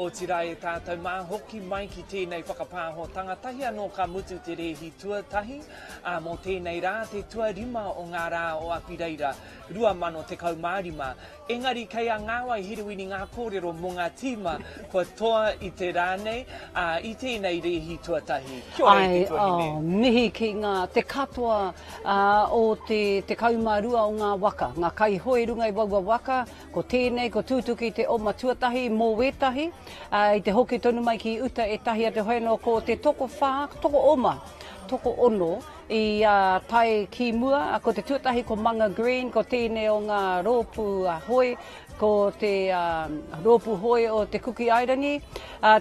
Otirā e tātou mā, hoki mai ki tēnei whakapāhotanga, tahi anō ka mutu te rēhi tuatahi, ā, mō tēnei rā, te tuarima o ngā rā o Apireira, 2015. Engari kei a Ngāwai Herewini ngā kōrero mō ngā tīma kua toa i te rā nei, ā, i tēnei rēhi tuatahi. Kia ora e te tuahine. Ai, oh, mihi ki ngā, te katoa, ā, o te 12 o ngā waka, ngā kaihoe runga i waua waka, Ko tēnei, ko Tūtuki te oma tuatahi mō wētahi, ā, i te hoki tonu mai ki uta ētahi atu hoi anō ko te tokowhā, tokooma, tokoono i tae ki mua, ko te tuatahi ko Manga Green, ko tēnei o ngā rōpū hoi, ko te rōpū hoi o Te Kuki Airani,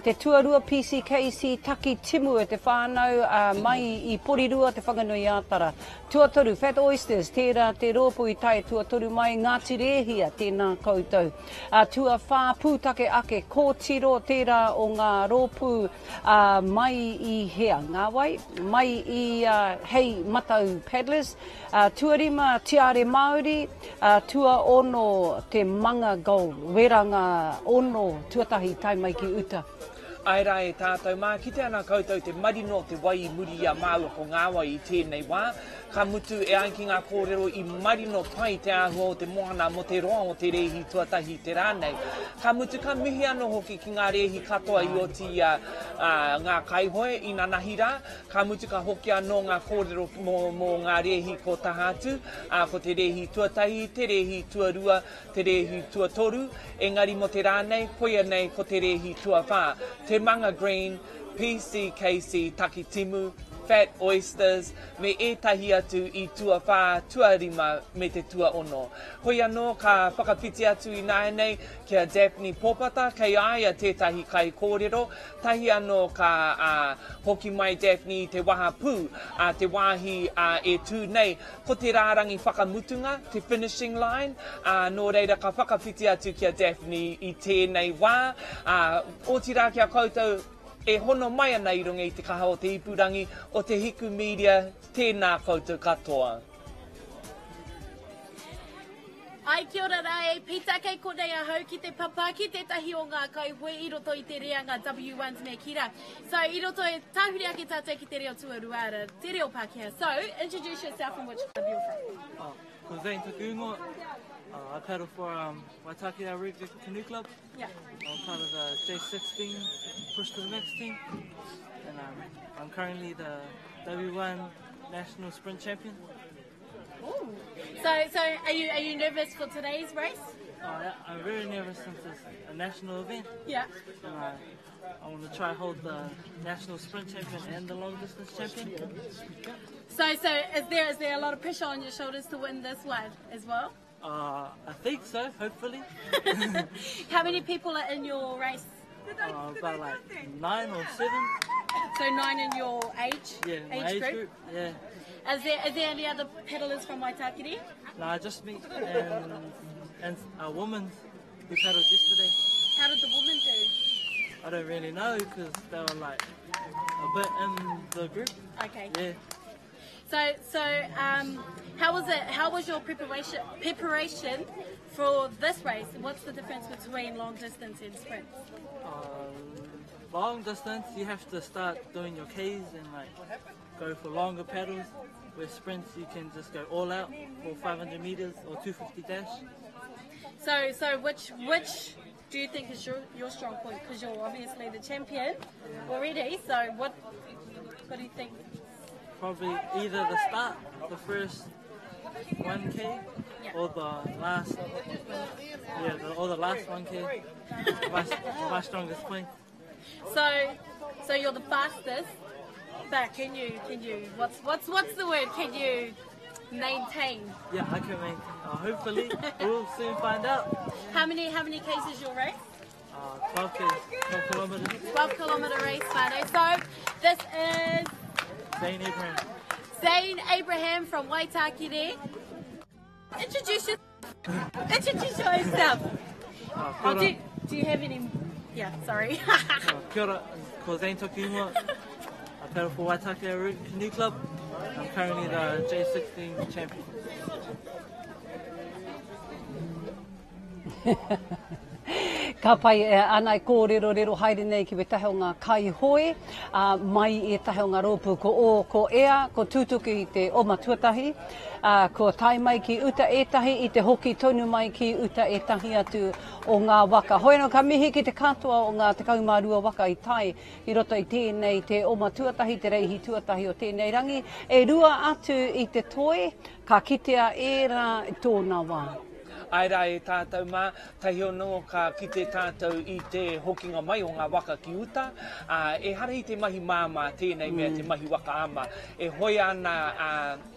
te tuarua PCKC Taki Timu e te whānau mai i Porirua, Te Whanganui-ā-Tara. Tuatoru, Fat Oysters, tērā te rōpū i tae tuatoru mai, Ngāti Rēhia, tēnā koutou. Ā, tuawhā, Pūtake Ake, Kōtiro, tērā o ngā rōpū, ā, mai i hea? Ngā wai? Mai i, ā, Hei Matau Paddlers. Ā, tuarima, Tiare Māori, ā, tuaono, Te Manga Gold, wera ngā ono tuatahi tae mai ki uta. Āe rā e tātou mā, kite ana koutou te marino o te wai i muri i a māua ko Ngāwai i tēnei wā, ka mutu e ai ki ngā kōrero i marino pai te āhua o te moana mō te roa o te rēhi tuatahi i te rā nei. Ka mutu ka mihi anō hoki ki ngā rēhi katoa i oti i a ngā kaihoe inanahi rā, ka mutu ka hoki anō ngā kōrero mō, mō ngā rēhi ko taha atu, ā, ko te rēhi tuatahi, te rēhi tuarua, te rēhi tuatoru, engari mō te rā nei, koia nei ko te rēhi tuawhā. Te Manga Green, PCKC Takitimu, Fat Oysters, me ētahi atu i tuawhā, tuarima me te tuaono. Hoi anō ka whakawhiti atu ināianei ki a Daphne Popata, kei a ia tētahi kaikōrero, tahi anō ka hoki mai Daphne i te wahapū, te wāhi e tū nei Ko te rārangi whakamutunga, te finishing line, ā, nō reira ka whakawhiti atu ki a Daphne i tēnei wā, ā, otirā ki a koutou e hono mai ana i runga i te kaha o te ipurangi, o Te Hiku Media, tēnā koutou katoa. Ai, kia ora rā e Pita, kei konei ahau ki te papa, ki tētahi o ngā kaihoe i roto i te reanga W1s me kī rā. So, i roto e tāhuri ake tātou ki te reo tuarua, ara, te reo Pākehā. So, introduce yourself and which club you're from. Oh, ko Zane taku ingoa. Uh, I paddle for um, Waitakere Rugby Canoe Club. Yeah. I'm part of the J16 Push to the Max team. And um, I'm currently the W1 National Sprint Champion. Ooh. So, so are you are you nervous for today's race? Oh, yeah, I'm very nervous since it's a national event. Yeah. And I, I want to try hold the national sprint champion and the long distance champion. So, so is there is there a lot of pressure on your shoulders to win this one as well? Uh, I think so, hopefully. How many people are in your race? Uh, about like nine or seven. So nine in your age? Yeah, age, age group? group? Yeah. Is there, is there any other paddlers from Waitakere? Nah, just me and, and a woman who paddled yesterday. How did the woman do? I don't really know because they were like a bit in the group. Okay. Yeah. So, so um, how was it? How was your preparation preparation for this race? What's the difference between long distance and sprints? Um, long distance, you have to start doing your Ks and like go for longer paddles. With sprints, you can just go all out for 500 meters or 250 dash. So, so which which do you think is your, your strong point? Because you're obviously the champion already. So what what do you think? Probably either the start, the first 1k, yeah. or the last, yeah, the, or the last 1k. my, my strongest point. So, so you're the fastest, but can you can you what's what's what's the word? Can you maintain? Yeah, I can maintain. Uh, hopefully, we'll soon find out. How many how many k's is your race? Uh, 12 k's, 12 kilometers. 12 kilometer race, Friday. So this is Zane Abraham. Zane Abraham from Waitakere. Introduce your, introduce yourself. Uh, oh, do, do you have any... Yeah, sorry. uh, kia ora, ko Zane Toki ingoa. I paddle for Waitakere Canoe Club. I'm currently the J16 champion. Ka pai, e ana e kōrerorero haere nei ki wētahi o ngā kaihoe, ā, mai i ētahi o ngā rōpū ko Ō, ko Ea, ko Tūtuki i te oma tuatahi, ā, kua tae mai ki uta ētahi, i te hoki tonu mai ki uta ētahi atu o ngā waka. Hoi anō, ka mihi ki te katoa o ngā 12 waka i tae i roto i tēnei te oma tuatahi, te reihi tuatahi o tēnei rangi. E rua atu i te toi, ka kitea ērā i tōna wā. Āe rā e tātou mā, tahi anō ka kite tātou i te hokinga mai o ngā waka ki uta, ā, ehara i te mahi māmā tēnei mea te mahi waka ama. E hoea ana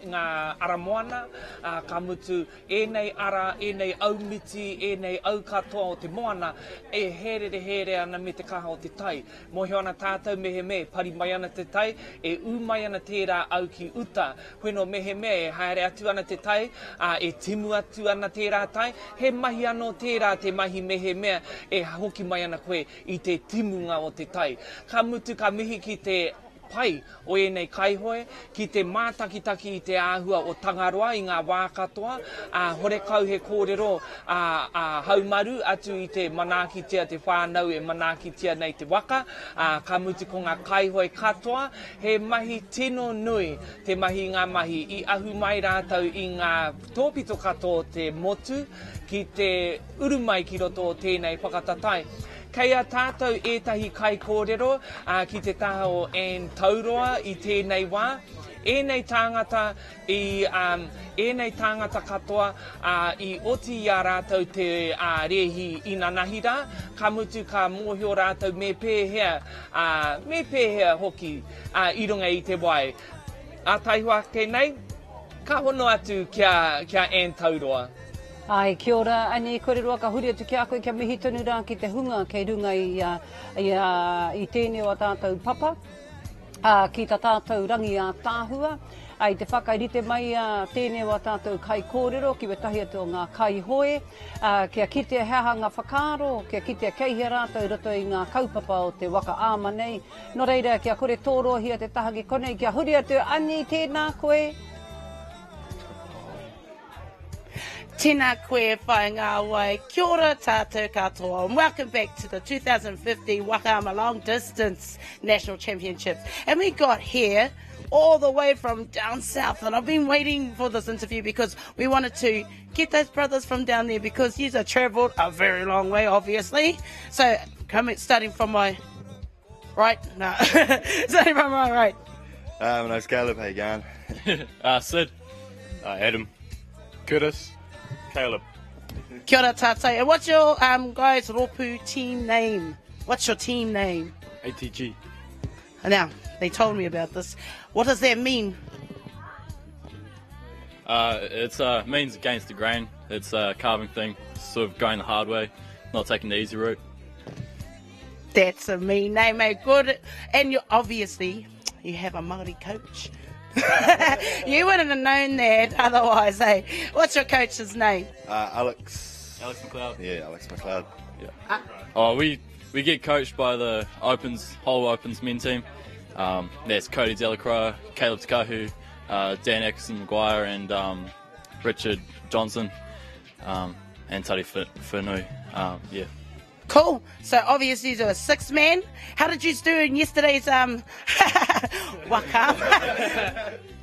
ngā ara moana, ā, ka mutu ēnei ara, ēnei aumiti, ēnei au katoa o te moana e hērere hērere ana me te kaha o te tai. Mōhio ana tātou mehemea e pari mai ana te tai, e ū mai ana tērā au ki uta. Hoeno mehemea e haere atu ana te tai, ā, e timu atu ana tērā tai, he mahi anō tērā te mahi mehemea e hoki mai ana koe i te timunga o te tai. Ka mutu ka mihi ki te pai o ēnei kaihoe, ki te mātakitaki i te āhua o Tangaroa i ngā wā katoa, ā, horekau he kōrero ā, ā, haumaru atu i te manaakitia te whānau e manaakitia nei te waka, ā, ka mutu ko ngā kaihoe katoa, he mahi tino nui te mahi i ngā mahi, i ahu mai rātou i ngā tōpito katoa o te motu ki te uru mai ki roto o tēnei whakatatae. Kei a tātou ētahi kaikōrero ki te taha o Anne Tauroa i tēnei wā. Ēnei tāngata i, ēnei tāngata katoa i oti i a rātou te rēhi inanahi rā, ka mutu ka mōhio rātou me pēhea, me pēhea hoki i runga i te wai. Ā taihoa ake nei, ka hono atu ki a, ki a Anne Tauroa. Āe, kia ora, Annie, kore roa ka huri atu ki a koe kia mihi tonu rā ki te hunga kei runga i a, i a, i tēnei o a tātou papa, ā, ki tā tātou rangi ātaahua, ā, i te whakarite mai a tēnei o a tātou kaikōrero ki wētahi atu o ngā kaihoe, ā, kia kitea he aha ngā whakaaro, kia kitea kei hea rātou i roto i ngā kaupapa o te waka ama nei. Nō reira, kia kore tōrohia te taha ki konei, kia huri atu, Annie, tēnā koe. Tēnā koe whai ngā wai. Kia ora tātou katoa. And welcome back to the 2050 Waka Ama Long Distance National Championships. And we got here all the way from down south. And I've been waiting for this interview because we wanted to get those brothers from down there because you have travelled a very long way, obviously. So coming, starting from my right, no, starting from my right. My name's Caleb. How you going? Sid. Adam. Curtis. Caleb. Kia ora tātou. And what's your guys rōpū team name? What's your team name? ATG. Now, they told me about this. What does that mean? It means against the grain. It's a carving thing, sort of going the hard way, not taking the easy route. That's a mean name, mate. Good. And you obviously, you have a Māori coach. You wouldn't have known that otherwise, eh? What's your coach's name? Alex. Alex McLeod. Yeah, Alex McLeod. Yeah. Oh, we get coached by the Opens, whole Opens men team. That's Cody Delacroix, Caleb Takahu, Dan Atkinson McGuire, and Richard Johnson, and Tari Whanui. Yeah. Cool. So obviously you're a six man. How did you do in yesterday's waka?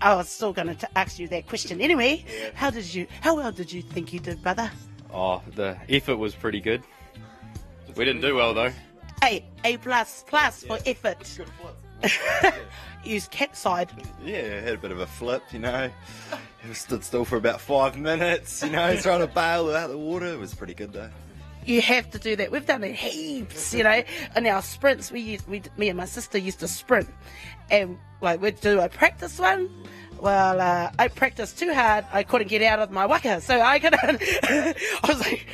I was still going to ask you that question anyway. How well did you think you did, brother? Oh, the effort was pretty good. We didn't do well though. Hey, A plus plus for effort. Good flip. Use capside. Yeah, had a bit of a flip, you know. It stood still for about 5 minutes, you know, trying to bail out the water. It was pretty good though. You have to do that. We've done it heaps, you know. In our sprints, me and my sister used to sprint, and we'd do a practice one. Well, I practiced too hard. I couldn't get out of my waka, so I couldn't. I was like,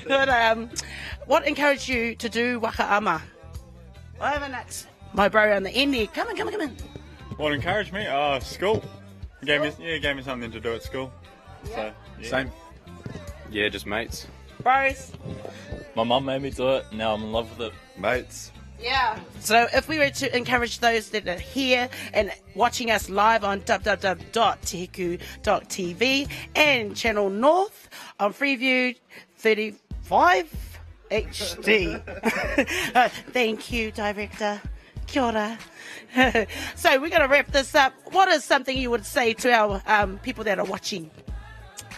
but what encouraged you to do waka ama? I haven't asked my bro on the end there. Come on, come on, come on. What encouraged me? School. It gave me something to do at school. Yeah. So, yeah. Same. Yeah, just mates. Bros. My mum made me do it, now I'm in love with it. Mates. Yeah. So if we were to encourage those that are here and watching us live on www.tehiku.tv and Channel North on Freeview 35. HD. Thank you, Director. Kia ora. so we're going to wrap this up. What is something you would say to our um, people that are watching?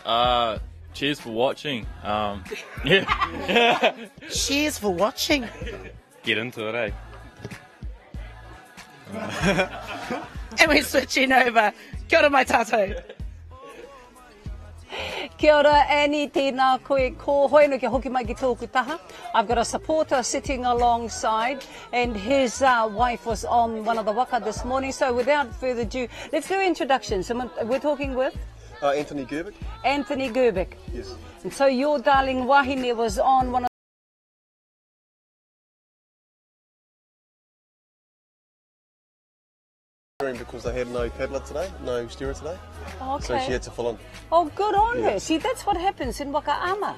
Uh, cheers for watching. Um, yeah. cheers for watching. Get into it, eh? and we're switching over. Kia ora mai tātou. Kia ora Annie, tēnā koe ko hoeno kia hoki mai ki tōku taha. I've got a supporter sitting alongside and his uh, wife was on one of the waka this morning. So without further ado, let's do introductions. We're talking with? Uh, Anthony Gerbic. Anthony Gerbic. Yes. And so your darling wahine was on one of because they had no paddler today, no steerer today. Okay. So she had to fill in. Oh, good on yeah. her. See, that's what happens in Wakaama.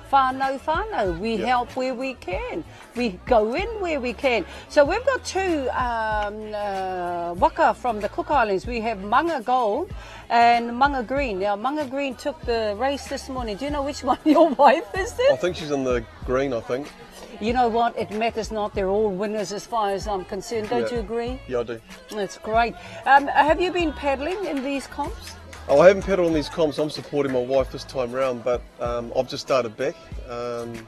Whānau, whānau. We yep. help where we can. We go in where we can. So we've got two um, uh, waka from the Cook Islands. We have Manga Gold and Manga Green. Now, Manga Green took the race this morning. Do you know which one your wife is in? I think she's in the green, I think. You know what? It matters not. They're all winners as far as I'm concerned. Don't yeah. you agree? Yeah, I do. That's great. Um, have you been paddling in these comps? Oh, I haven't paddled in these comps. I'm supporting my wife this time round, but um, I've just started back. Um,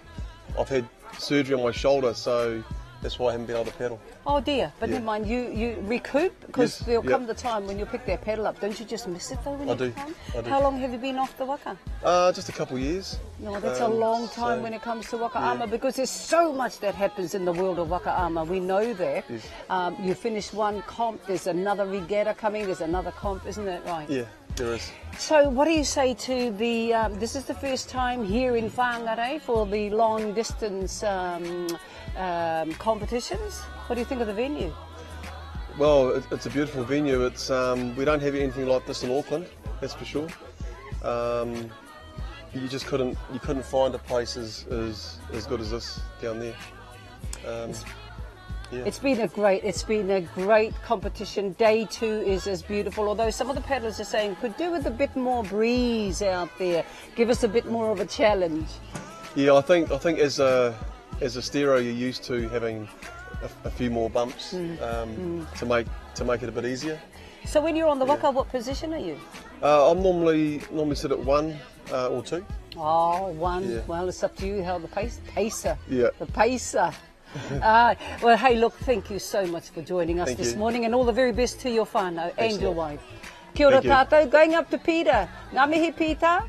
I've had surgery on my shoulder, so that's why I haven't been able to paddle. Oh dear, but yeah. never mind, you, you recoup because yes, there'll yep. come the time when you pick that paddle up. Don't you just miss it though when I you do. come? I do. How long have you been off the waka? Uh, just a couple of years. No, that's um, a long time so, when it comes to waka yeah. ama because there's so much that happens in the world of waka ama. We know that. Yes. Um, you finish one comp, there's another regatta coming, there's another comp, isn't that right? Yeah. There is. So, what do you say to the? Um, this is the first time here in Whangarei for the long distance um, um, competitions. What do you think of the venue? Well, it, it's a beautiful venue. It's um, we don't have anything like this in Auckland, that's for sure. Um, you just couldn't you couldn't find a place as as, as good as this down there. Um, yeah. It's been a great, it's been a great competition. Day two is as beautiful, although some of the paddlers are saying could do with a bit more breeze out there. Give us a bit more of a challenge. Yeah, I think I think as a as a steerer, you're used to having a, a few more bumps mm. Um, mm. to make to make it a bit easier. So when you're on the waka, yeah. what position are you? Uh, I'm normally normally sit at one uh, or two. Oh, one. Yeah. Well, it's up to you how the pace pacer. Yeah. The pacer. uh, well, hey, look, thank you so much for joining us thank this you. morning and all the very best to your whānau Thanks and your wife. Kia ora tātou, going up to Peter. Ngā mihi, Peter.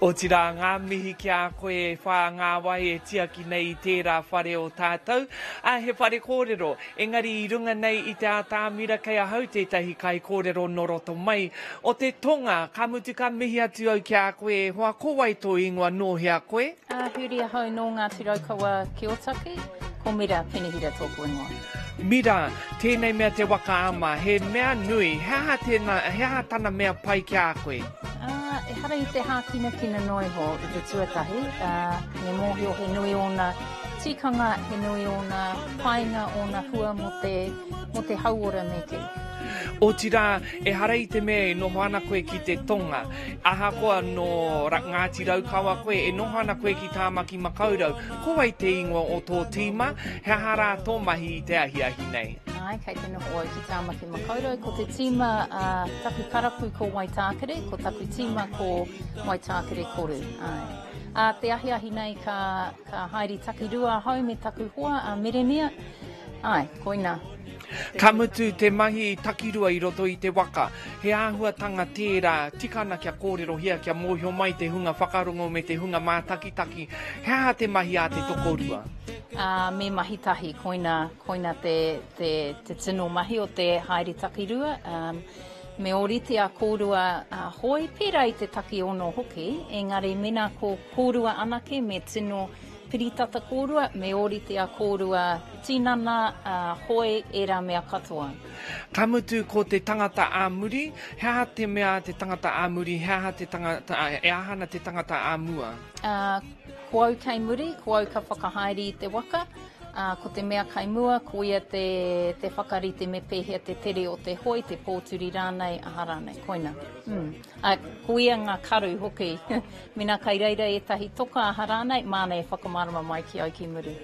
Otirā ngā mihi ki a koe e whā ngā wai e tiaki nei i tērā whare o tātou, ā, he whare kōrero, engari i runga nei i te ātamira kei ahau tētahi kaikōrero nō roto mai o te tonga, ka mutu ka mihi atu au ki a koe e hoa, ko wai tō ingoa, nō hea koe? Ā, huri ahau nō Ngāti Raukawa ki Ōtaki, ko Mira Penehira tōku ingoa. Mira, tēnei mea te waka ama, he mea nui, he aha tēnā, he aha tana mea pai ki a koe? Ā, ehara i te hākinakina noa iho i te tuatahi, ā, me mōhio he nui ōna tikanga, he nui ōna painga, ōna hua mō te, mō te hauora me kī. Otirā, ehara i te mea e noho ana koe ki te tonga. Ahakoa nō Ngāti Raukawa koe, e noho ana koe ki Tāmaki Makaurau. Ko wai te ingoa o tō tīma? He aha rā tō mahi i te ahiahi nei? Āe, kei te noho au ki Tāmaki Makaurau. Ko te tīma a taku karapu ko Waitākere, ko taku tīma ko Waitākere Koru. Āe. Ā te ahiahi nei ka, ka haere takirua ahau me taku hoa a Meremia. Āe, koina. Ka mutu te mahi takirua i roto i te waka, he āhuatanga tērā, tika ana kia kōrerohia, kia mōhio mai te hunga whakarongo me te hunga mātakitaki, he aha te mahi a te tokorua? Ā, me mahi tahi, koina, koina te, te, te tino mahi o te haere takirua. Ā, me ōrite a kōrua a hoe, pērā i te takiono hoki, engari mēnā ko kōrua anake me tino Piritata kōrua, me ōrite a kōrua tinana, a hoe, ērā mea katoa. Ka mutu ko te tangata ā muri, he aha te mea a te tangata ā muri, he aha te tangata, e aha ana te tangata ā mua? Ā, ko au kei muri, ko au ka whakahaere i te waka, Ā, ko te mea kai mua, ko ia te, te whakarite me pēhea te tere o te hoe, te pōturi rānei, aha rānei, koina. Mm. Ā, ko ia ngā karu hoki. Mēnā kai reira ētahi toka aha rānei, māna e whakamārama mai ki au ki muri.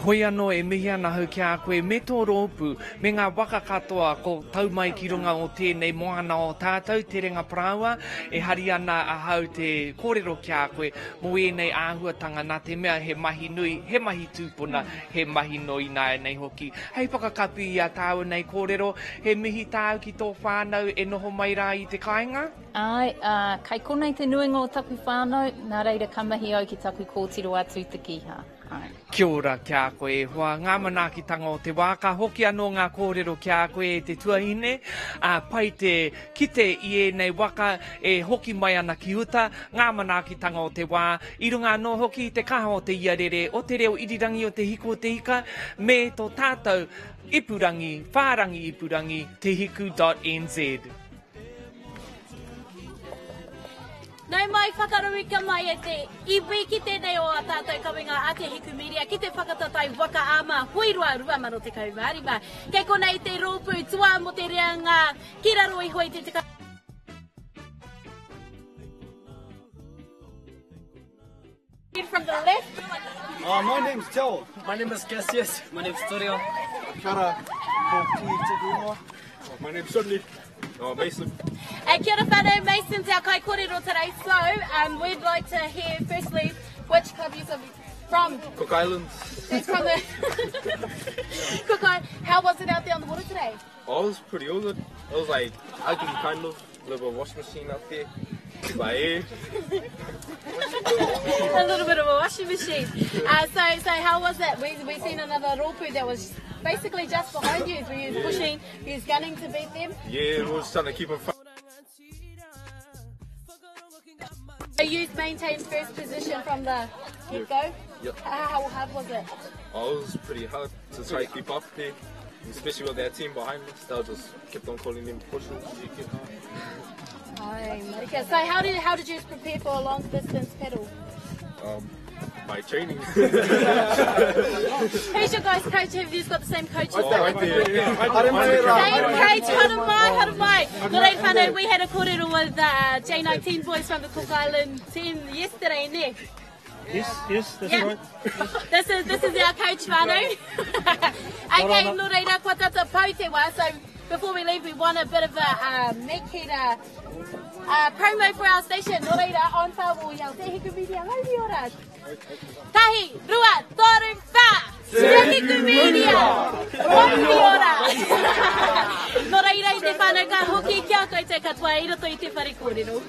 Hoi anō e mihi ana ahau ki a koe me tō rōpū, me ngā waka katoa ko tau mai ki runga o tēnei moana o tātou, Terenga Parāoa, e hari ana ahau te kōrero ki a koe mō ēnei āhuatanga nā te mea he mahi nui, he mahi tūpuna, he mahi nō ināianei hoki. Hei whakakapi i a tāua nei kōrero, he mihi tāu ki tō whānau e noho mai rā i te kāinga? Āe, ā, kai konei te nuinga o taku whānau, nā reira ka mihi au ki taku kōtiro a Tūtekiha. Āe. Kia ora ki a koe e hoa, ngā manaakitanga o te wā, ka hoki anō ngā kōrero ki a koe e te tuahine, ā, pai te kite i ēnei waka e hoki mai ana ki uta, ngā manaakitanga o te wā, i runga anō hoki i te kaha o te iarere, o te reo irirangi o Te Hiku o Te Ika, me tō tātou ipurangi, whārangi ipurangi, tehiku.nz. Nau mai, whakarauika mai e te iwi ki tēnei o ā tātou kawenga a Te Hiku Media ki te whakataetae waka ama Huiroa 2015. Kei konei te rōpū toa mō te reanga ki raro iho i te 10. From the left. My name's Joel. My name is Cassius. My name's Torio. Kia ora, ko Piri tōku ingoa. My name's Sudley. Oh, Mason. Hey, kia ora whanau, Mason's our kaikorero today. So, we'd like to hear firstly which club you're from. Cook Islands. That's from the Cook Islands. How was it out there on the water today? Oh, it was pretty all good. It was like ugly kind of, little bit of washing machine out there. Like, eh. a little bit of a washing machine. So, so how was it? We we seen another rōpū that was basically just behind you. We was pushing, we was gunning to beat them. Yeah, we was trying to keep them. So you maintained first position from the get go. Yep. How hard was it? Oh, it was pretty hard to try to keep up there, especially with that team behind us. They just kept on calling them pushers. Okay, so how did how did you prepare for a long distance paddle? By training. Who's your guys' coach? Have you got the same coach? Oh, right there. Same coach, haere mai, haere mai. Nō reira whānau, we had a kōrero with the J19 boys from the Cook Island team yesterday, ne? Yes, yes, that's yeah. right. This is this is our coach whānau. okay, nō reira, kua tata pau te wā, so before we leave, we want a bit of a make it a promo for our station. Nō reira, on whāo i au Te Hiku Media, mauri ora. Tahi, rua, toru, whā! Te Hiku Media! Mauri ora! Nō reira i te whānau ka hoki ki a koutou katoa i roto i te whare kōrero.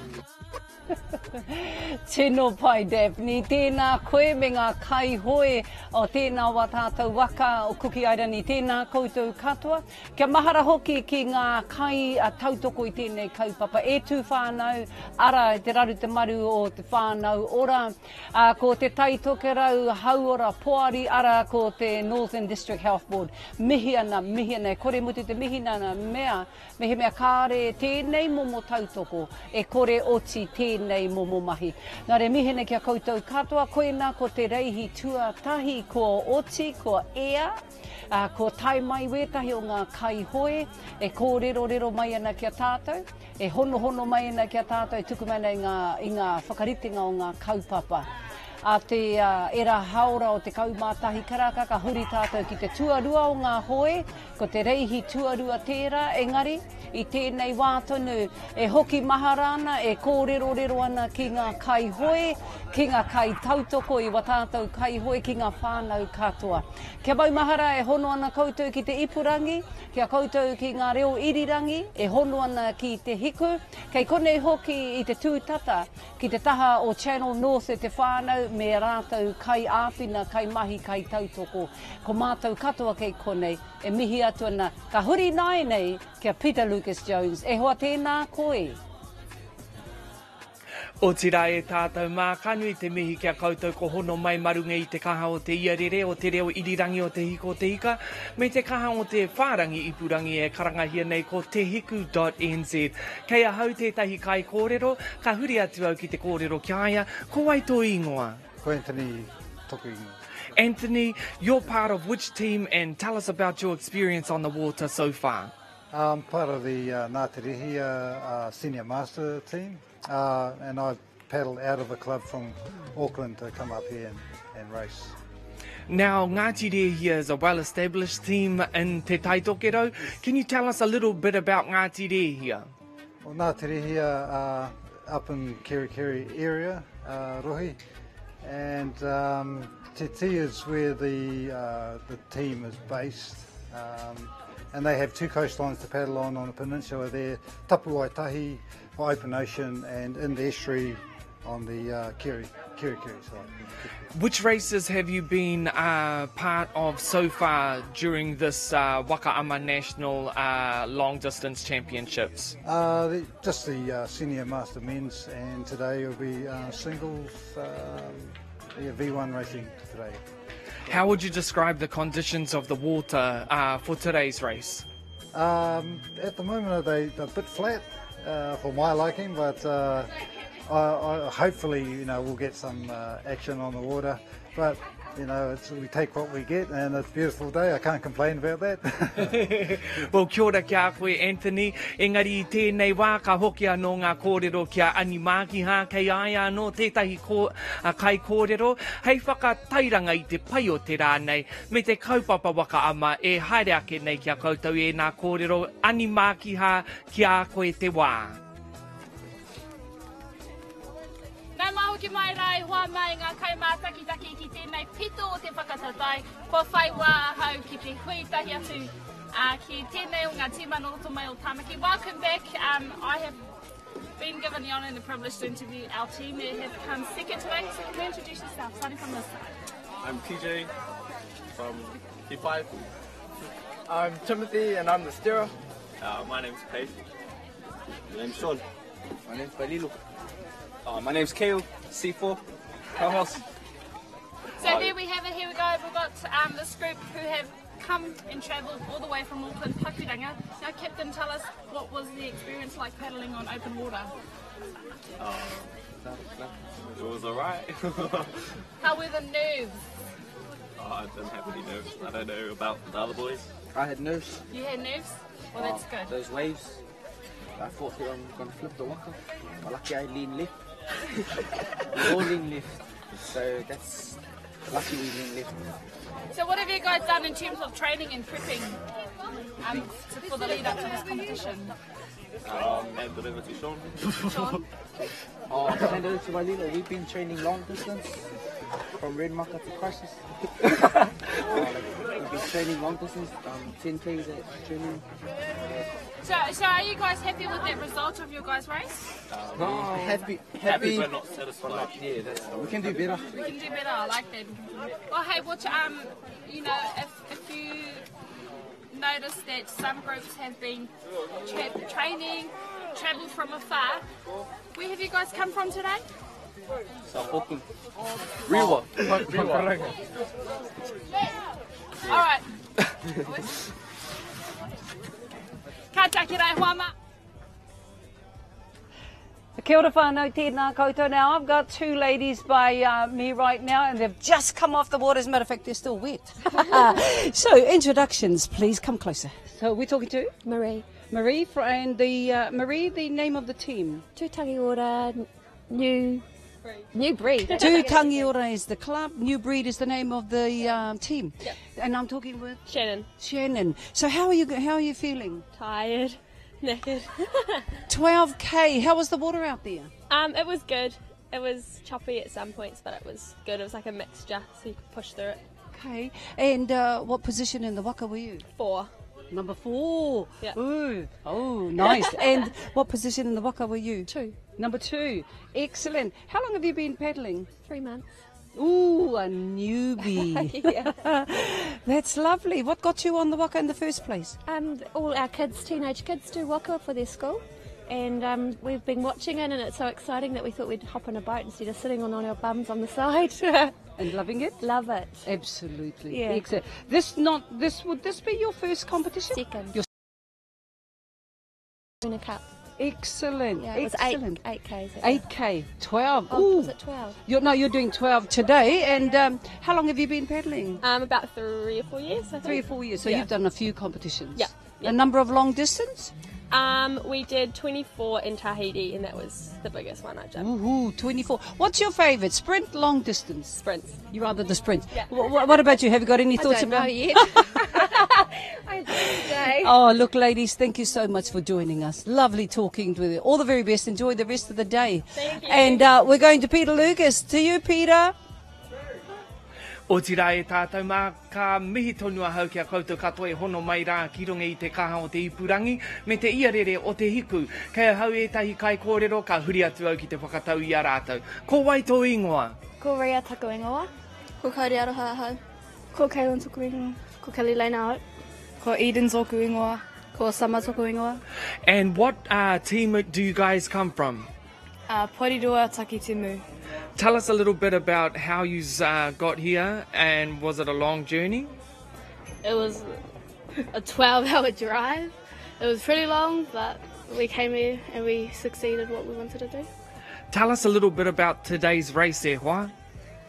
Tino pai Daphne, tēnā koe me ngā kaihoe o tēnā o ā tātou waka o Kuki Airani, tēnā koutou katoa. Kia mahara hoki ki ngā kai tautoko i tēnei kaupapa, e tū whānau, ara i te raru te maru o te whānau ora, ko Te Tai Tokerau Hauora Poari, ara ko te Northern District Health Board. Mihi ana, mihi ana, e kore mutu te mihi nana mea, mehemea kāre tēnei momo tautoko, e kore oti tēnei momo mahi. Nā reira, mihi ana ki a koutou katoa, koinā ko te reihi tuatahi kua oti, kua ea, Ā, kua tae mai wētahi o ngā kaihoe e kōrerorero mai ana ki a tātou, e honohono mai ana ki a tātou, e tuku mai ana i ngā, i ngā whakaritenga o ngā kaupapa. A te era haora o 11 karaka ka huri tātou ki te tuarua o ngā hoe, ko te reihi tuarua tērā, engari, i tēnei wā tonu e hoki mahara ana, e kōrerorero ana ki ngā kaihoe, ki ngā kaitautoko i wā tātou kaihoe, ki ngā whānau katoa. Kia maumahara e hono ana koutou ki te ipurangi, ki a koutou ki ngā reo irirangi e hono ana ki te hiku, kei konei hoki i te tūtata ki te taha o Channel North e te whānau me rātou kaiāwhina, kaimahi, kaitautoko. Ko mātou katoa kei konei e mihi atu ana, ka huri nāianei ki a Peter Lucas Jones. E hoa tēnā koe. Otirā e tātou mā, ka nui te mihi ki a koutou ko hono mai ma runga i te kaha o te iarere, o te reo irirangi o Te Hiko o Te Ika, me te kaha o te whārangi ipurangi e karangahia nei ko tehiku.nz. Kei ahau tētahi kaikōrero, ka huri atu au ki te kōrero ki a ia, ko wai tō īngoa? Ko Anthony toku ingoa. Anthony, you're part of which team and tell us about your experience on the water so far? I'm part of the uh, Ngāti Rehia uh, senior master team uh, and I paddled out of the club from Auckland to come up here and, and race. Now, Ngāti Rehia is a well-established team in Te Taitokerau. Can you tell us a little bit about Ngāti Rehia? Well, Ngāti Rehia are up in Kerikeri area, uh, Rohi, and um, Te Tii is where the, uh, the team is based. Um, and they have two coastlines to paddle on on the peninsula there, Tapuaetahi for open ocean and in the estuary on the uh, Keri, Kerikeri side. Which races have you been uh, part of so far during this uh, Waka Ama National uh, Long Distance Championships? Uh, the, just the uh, senior master men's, and today will be uh, singles, um, yeah, V1 racing today. How would you describe the conditions of the water uh, for today's race? Um, at the moment, they, they're a bit flat uh, for my liking, but uh, I, I, hopefully, you know, we'll get some uh, action on the water. But you know, it's, we take what we get, and it's a beautiful day. I can't complain about that. well, kia ora ki a koe, Anthony. Engari i tēnei wā, ka hoki anō ngā kōrero ki a Ani Mākiha, kei a ia anō tētahi ko, a kai kōrero, hei whakatairanga i te pai o te rā nei, me te kaupapa waka ama e haere ake nei ki a koutou ēnā kōrero. Ani Mākiha, ki a koe te wā. Nau mai hoki mai rā e hoa mai ngā kaimātakitaki ki tēnei pito o te whakataetae. Kua whai wā ahau ki te hui tahi atu uh, ki tēnei o ngā tīma nō roto mai o Tāmaki. Welcome back. Um, I have been given the honour and the privilege to interview our team that have come second today. So can you introduce yourself, starting from this side? I'm TJ from T5. I'm Timothy and I'm the steerer. Uh, my name's Pace. My name's Sean. My name's Balilo. Uh, my name's Kale, C4, co-host. So there we have it, here we go. We've got um, this group who have come and travelled all the way from Auckland, Pakuranga. Now, Captain, tell us what was the experience like paddling on open water? Uh, it was alright. How were the nerves? Oh, I didn't have any nerves. I don't know about the other boys. I had nerves. You had nerves? Well, that's good. Those waves. I thought that I'm going to flip the waka. But lucky I leaned left. we all lean left. So that's lucky we lean left. So what have you guys done in terms of training and prepping um, to, for the lead up to this competition? Um, hand it over to Sean. Sean? Oh, hand over to my leader. We've been training long distance from Red Maka to Crisis. like, we've been training long distance, um, 10Ks at training. So, so are you guys happy with that result of your guys' race? Um, no, happy, happy, happy, but not satisfied. But yeah, that's, we can do better. We can do better. I like that. Well, hey, what um, you know, if if you notice that some groups have been tra training, travelled from afar. Where have you guys come from today? South Auckland. Rewa. Rewa. All right. Ka taki rai hoa ma. Kia ora whānau, tēnā koutou. Now, I've got two ladies by uh, me right now, and they've just come off the water. As a matter of fact, they're still wet. so, introductions, please. Come closer. So, we're talking to? Marie. Marie, and the, uh, Marie, the name of the team? Tūtangiora New... New Breed. Tūtangiora is the club. New Breed is the name of the um, team. Yep. And I'm talking with? Shannon. Shannon. So how are you, how are you feeling? Tired. Knackered. 12K. How was the water out there? Um, it was good. It was choppy at some points, but it was good. It was like a mixture, so you could push through it. Okay. And uh, what position in the waka were you? Four. Number four. Yeah. Ooh. Oh, nice. and what position in the waka were you? Two. Number two. Excellent. How long have you been paddling? 3 months. Ooh, a newbie. yeah. That's lovely. What got you on the waka in the first place? Um, all our kids, teenage kids, do waka for their school. And um, we've been watching it, and it's so exciting that we thought we'd hop on a boat instead of sitting on, on our bums on the side. and loving it? Love it. Absolutely. Yeah. Excellent. This not this would this be your first competition? Second. Your in a cup. Excellent. Yeah, it was eight- Excellent. 8Ks. 8K, 12. Oh, Ooh. was it 12? You're, no, you're doing 12 today. And um, how long have you been paddling? Um, about 3 or 4 years, I think. 3 or 4 years. So Yeah. you've done a few competitions. Yeah, A number of long distance? We did 24 in Tahiti, and that was the biggest one I've done. Ooh, 24. What's your favourite? Sprint, long distance? Sprints. You rather the sprints. Yeah. What, what about you? Have you got any I thoughts don't about know yet. I today. Oh, look, ladies, thank you so much for joining us. Lovely talking with you. All the very best. Enjoy the rest of the day. Thank you. And we're going to Peter Lucas. To you, Peter. Otirā e tātou mā, ka mihi tonu ahau ki a koutou katoa e hono mai rā ki runga i te kaha o te ipurangi me te iarere o te hiku. Kei ahau ētahi kaikōrero ka huri atu au ki te whakatau i a rātou. Ko wai tō ingoa? Ko Ria taku ingoa. Ko Kauri Aroha ahau. Ko Kaylin toku ingoa. Ko Kelly Lane ahau. Ko Eden tōku ingoa. Ko Summer toku ingoa. And what team do you guys come from? Porirua Takitimu. Tell us a little bit about how you got here and was it a long journey? It was a 12-hour drive. It was pretty long, but we came here and we succeeded what we wanted to do. Tell us a little bit about today's race, e hoa.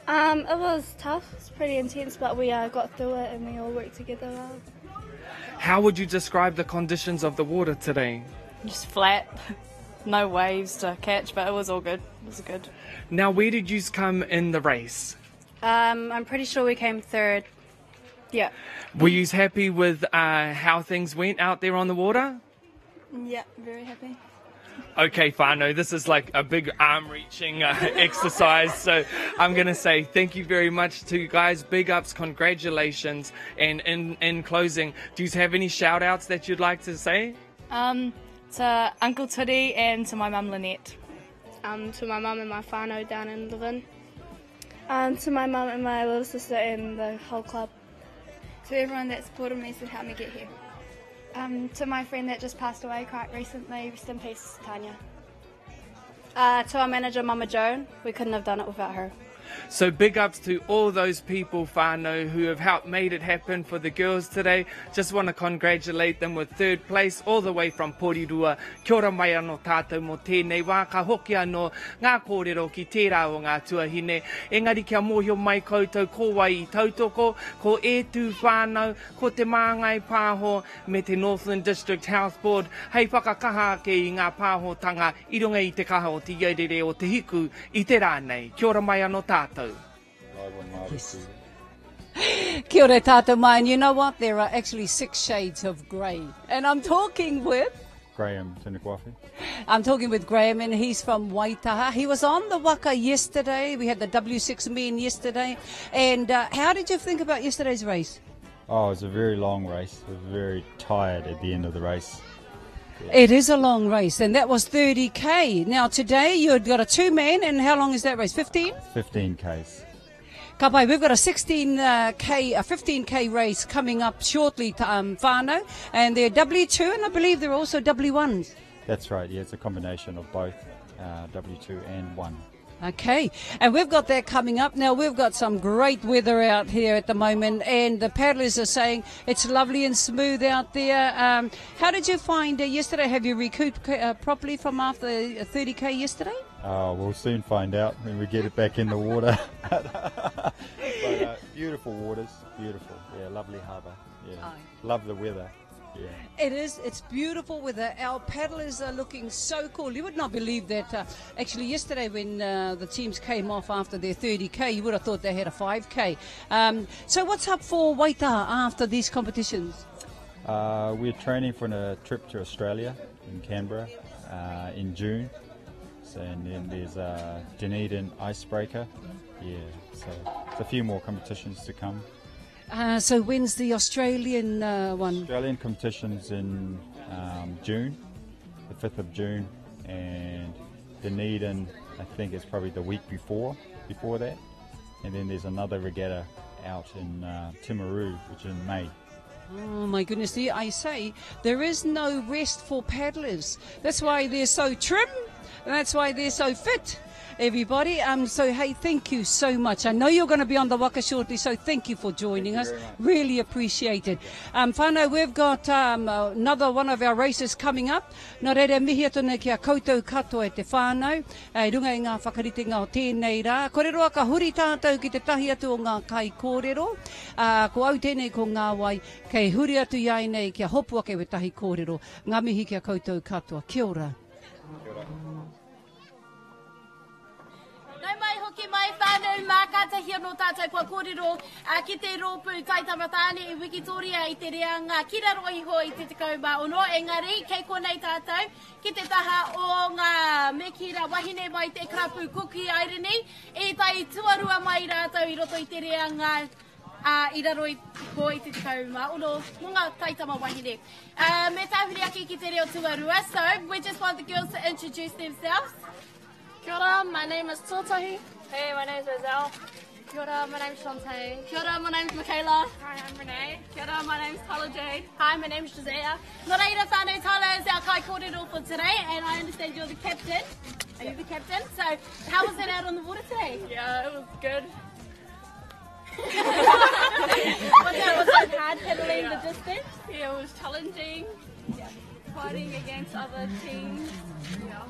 It was tough. It's pretty intense, but we got through it and we all worked together well. How would you describe the conditions of the water today? Just flat. No waves to catch, but it was all good. It was good. Now, where did you come in the race? I'm pretty sure we came third. Yeah. Were you happy with how things went out there on the water? Yeah, very happy. Okay, whānau, this is like a big arm-reaching exercise, so I'm going to say thank you very much to you guys. Big ups, congratulations, and in closing, do you have any shout-outs that you'd like to say? To Uncle Turi and to my mum Lynette. To my mum and my whānau down in Levin. To my mum and my little sister and the whole club. To everyone that supported me to help me get here. To my friend that just passed away quite recently, rest in peace, Tanya. To our manager, Mama Joan, we couldn't have done it without her. So big ups to all those people, whānau, who have helped made it happen for the girls today. Just want to congratulate them with third place all the way from Porirua. Kia ora mai anō tātou mō tēnei wā, ka hoki anō ngā kōrero ki tērā o ngā tuahine. Engari kia mōhio mai koutou ko wai i tautoko, ko e tū whānau, ko te Māngai Pāho me te Northland District Health Board hei whakakaha ake i ngā pāhotanga i runga i te kaha o te iarere o te hiku i te rā nei. Kia ora mai anō tātou. Yes. Kia ora tātou mai. And you know what? There are actually 6 shades of grey. And I'm talking with... Graham Tunukuafi. I'm talking with Graham, and he's from Waitaha. He was on the waka yesterday. We had the W6 men yesterday. And how did you think about yesterday's race? Oh, it was a very long race. I was very tired at the end of the race. Yeah. It is a long race, and that was 30K. Now, today you've got a two-man, and how long is that race? 15? 15 Ks. Ka pai, we've got a 16K, a 15K race coming up shortly, whānau, and they're W2, and I believe they're also W1s. That's right, yeah, it's a combination of both, W2 and 1. Okay, and we've got that coming up. Now, we've got some great weather out here at the moment, and the paddlers are saying it's lovely and smooth out there. How did you find yesterday? Have you recouped properly from after 30K yesterday? Oh, we'll soon find out when we get it back in the water. But, beautiful waters, beautiful. Yeah, lovely harbour. Yeah, love the weather. Yeah. It is. It's beautiful weather. Our paddlers are looking so cool. You would not believe that. Actually, yesterday when the teams came off after their 30K, you would have thought they had a 5K. So what's up for Waitaha after these competitions? We're training for a trip to Australia in Canberra in June. So, and then there's a Dunedin Icebreaker. Yeah, so there's a few more competitions to come. So when's the Australian one? Australian competition's in June, the 5th of June, and Dunedin, I think, is probably the week before that. And then there's another regatta out in Timaru, which is in May. Oh my goodness, I say there is no rest for paddlers. That's why they're so trim, and that's why they're so fit. everybody. Um, so, hey, thank you so much. I know you're going to be on the waka shortly, so thank you for joining us. Really appreciate it. Um, whānau, we've got um, another one of our races coming up. Nō reira, mihi atu nei ki a koutou katoa e te whānau, i runga i ngā whakaritenga o tēnei rā. Kore roa ka huri tātou ki te tahi atu o ngā kaikōrero. Ā, ko au tēnei ko Ngāwai, kei huri atu i a nei kia hopu ake wētahi kōrero. Ngā mihi ki a koutou katoa. Kia ora. Kia ora. Nau mai hoki mai whānau mā kātahi anō tātou kua kōrero ki te rōpū Taitama Tāne i Wikitoria i te reanga ki raro iho i te 16 engari kei konei tātou ki te taha o ngā mekira wahine mai te karapu Kuki Airini i tae tuarua mai rātou i roto i te reanga i raro iho i te 16 mō ngā taitama wahine. Me tāhuri ake ki te reo tuarua, so we just want the girls to introduce themselves. Kia ora, my name is Tōtahi. Hey, my name is Roselle. Kia ora, my name's Shantae. Kia ora, my name's Michaela. Hi, I'm Renee. Kia ora, my name's Tyler Jade. Hi, my name's Josiah. Nō reira whānau, Tyler is our kaikōrero for today, and I understand you're the captain. Are you the captain? So, how was it out on the water today? Yeah, it was good. was, it, was it hard paddling yeah. the distance? Yeah, it was challenging. Yeah. Fighting against other teams. Yeah.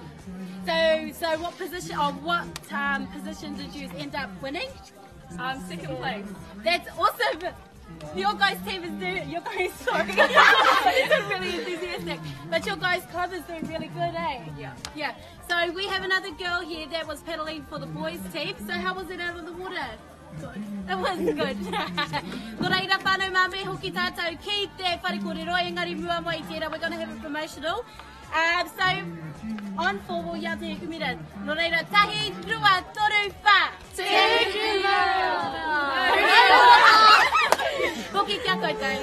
So, so what position or what um, position did you end up winning? Um, second place. That's awesome. Your guys' team is doing. Your guys, sorry, it's really enthusiastic. But your guys' club is doing really good, eh? Yeah. Yeah. So we have another girl here that was paddling for the boys' team. So how was it out of the water? Good. It was good. Nō reira whānau mā me hoki tātou ki te whare kōrero, engari mua mai i tērā, we're gonna have a promotional. Um, so, on four, we'll yell Te Hikumira. Nō reira, tahi, rua, toru, whā. Te Hikumira! Hoki kia koutou.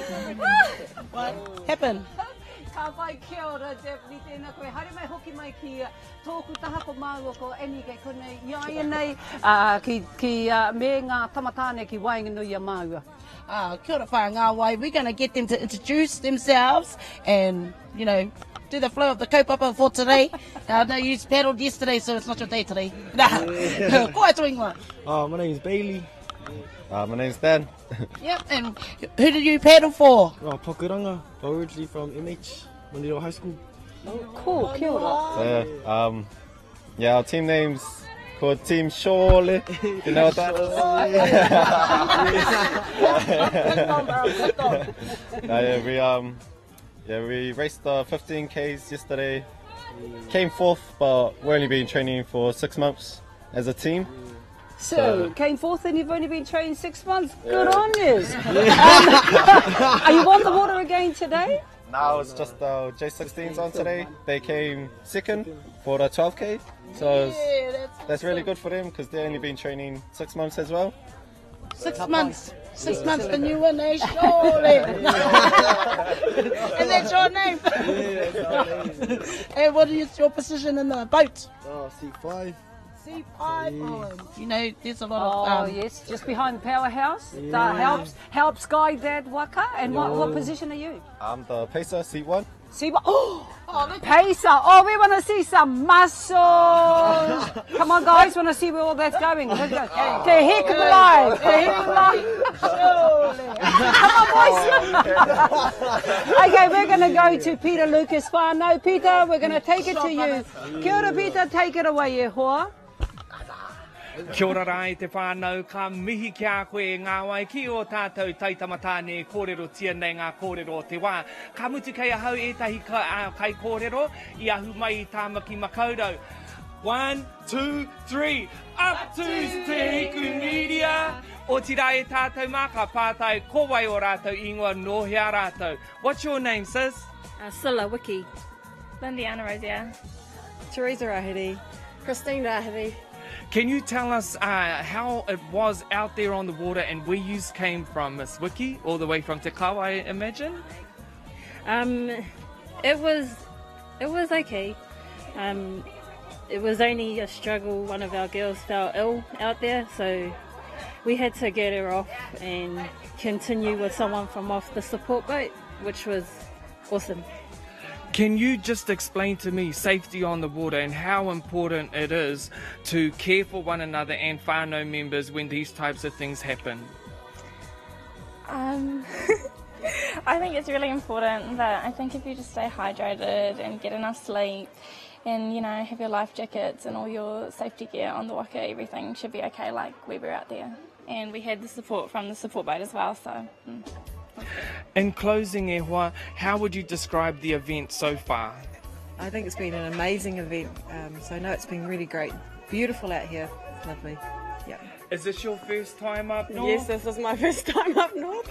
What happened? Ka pai, kia ora, Daphne, tēnā koe. Haere mai, hoki mai ki Tōku taha ko māua ko Annie kei konei i a ia nei, ā, ki, ki, ā, me ngā tama tāne ki waenganui i a māua. Ah, kia ora whaea Ngāwai, we're gonna get them to introduce themselves and, you know, do the flow of the kaupapa for today. I know you paddled yesterday, so it's not your day today. Nah. Ko ai tō ingoa? Oh, my name's Bailey. Uh, my name's Dan. Yep, and who did you paddle for? Oh, Pakuranga, originally from MH, Manurewa High School. Cool, kia ora. So, um, yeah, our team name's called Team Surely. Do you know what that is? no, yeah, we um, yeah, we raced the 15Ks yesterday. Came fourth, but we've only been training for six months as a team. So, so came fourth and you've only been trained six months. Good yeah. on you. um, are you on the water again today? Now it's just the J16s on today. They came second for the 12K. So yeah, that's, that's really good for them because they've only been training six months as well. Six months. Six months the new one, eh? Surely. and that's your name. Yeah, that's our name. and what is your position in the boat? Oh, C5. C5. You know, there's a lot of. Oh, um, yes, just behind the powerhouse. Yeah. That helps, helps guide that waka. And what, what position are you? I'm the pacer, C1. C1. Oh, oh pacer. Oh, we want to see some muscles. Come on, guys, want to see where all that's going. Let's go. Te heck alive. Te heck alive. Come on, boys. okay, we're going to go to Peter Lucas whānau. Peter, we're going to take it to you. Kia ora, Peter, take it away, e hoa. Kia ora rā e te whānau, ka mihi ki a koe e Ngāwai ki ō tātou taitama tāne e kōrerotia nei ngā kōrero o te wā. Ka mutu kei ahau ētahi kaikōrero i ahu mai i Tāmaki Makaurau. One, two, three, up to Te Hiku Media! Otirā e tātou mā, ka pātai ko wai ō rātou ingoa, nō hea rātou. What's your name, sis? Uh, Scylla Wiki. Lindiana Rosier. Teresa Rahiri. Christine Rahiri. Can you tell us uh, how it was out there on the water and where you came from, Miss Wiki, all the way from Te Kawa, I imagine? Um, it was, it was okay. Um, it was only a struggle. One of our girls fell ill out there, so we had to get her off and continue with someone from off the support boat, which was awesome. Can you just explain to me safety on the water and how important it is to care for one another and whānau members when these types of things happen? Um, I think it's really important that I think if you just stay hydrated and get enough sleep and, you know, have your life jackets and all your safety gear on the waka, everything should be okay like we were out there. And we had the support from the support boat as well, so... Mm. In closing, Ehua, how would you describe the event so far? I think it's been an amazing event. Um, so, no, it's been really great. Beautiful out here. Lovely. Yeah. Is this your first time up north? Yes, this is my first time up north.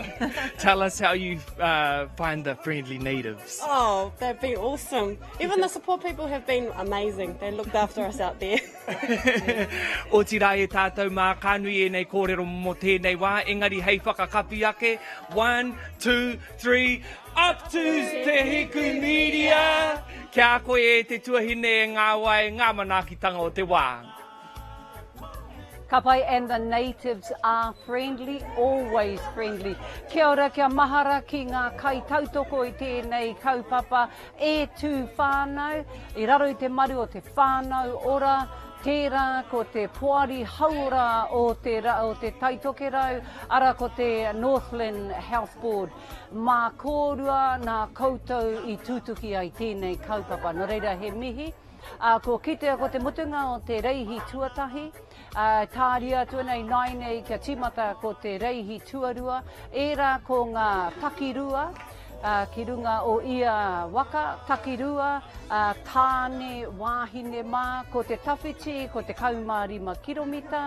Tell us how you uh, find the friendly natives. Oh, they've been awesome. Even the support people have been amazing. They looked after us out there. Otirā e tātou mā, ka nui ēnei kōrero mō tēnei wā, engari hei whakakapi ake, 1, 2, 3, up to Te Hiku Media! Kia koe e te tuahine e ngā wai, ngā manaakitanga o te wā. Ka pai and the natives are friendly, always friendly. Kia ora, kia mahara ki ngā kaitautoko i tēnei kaupapa e tū whānau, i raro i te maru o te whānau ora, tērā ko te poari hauora o te, o te Taitokerau, ara ko te Northland Health Board. Mā kōrua nā koutou i tutuki ai tēnei kaupapa. Nō reira he mihi. Ā, kua kitea ko te mutunga o te reihi tuatahi, ā, tāria atu ana ināianei kia tīmata ko te reihi tuarua, ērā ko ngā takirua, ā, ki runga o ia waka, takirua, ā, tāne, wāhine mā, ko te tawhiti, ko 15 kiromita,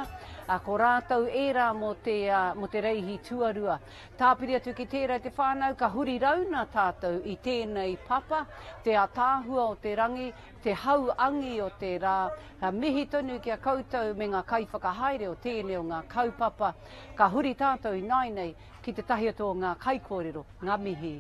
ā, ko rātou ērā mō te, ā, mō te reihi tuarua. Tāpiri atu ki tērā te whānau, ka huri rauna tātou i tēnei papa, te ataahua o te rangi, te hau angi o te rā. Ka mihi tonu ki a koutou me ngā kaiwhakahaere o tēnei o ngā kaupapa. Ka huri tātou ināinei ki te tahi atu o ngā kaikōrero. Ngā mihi.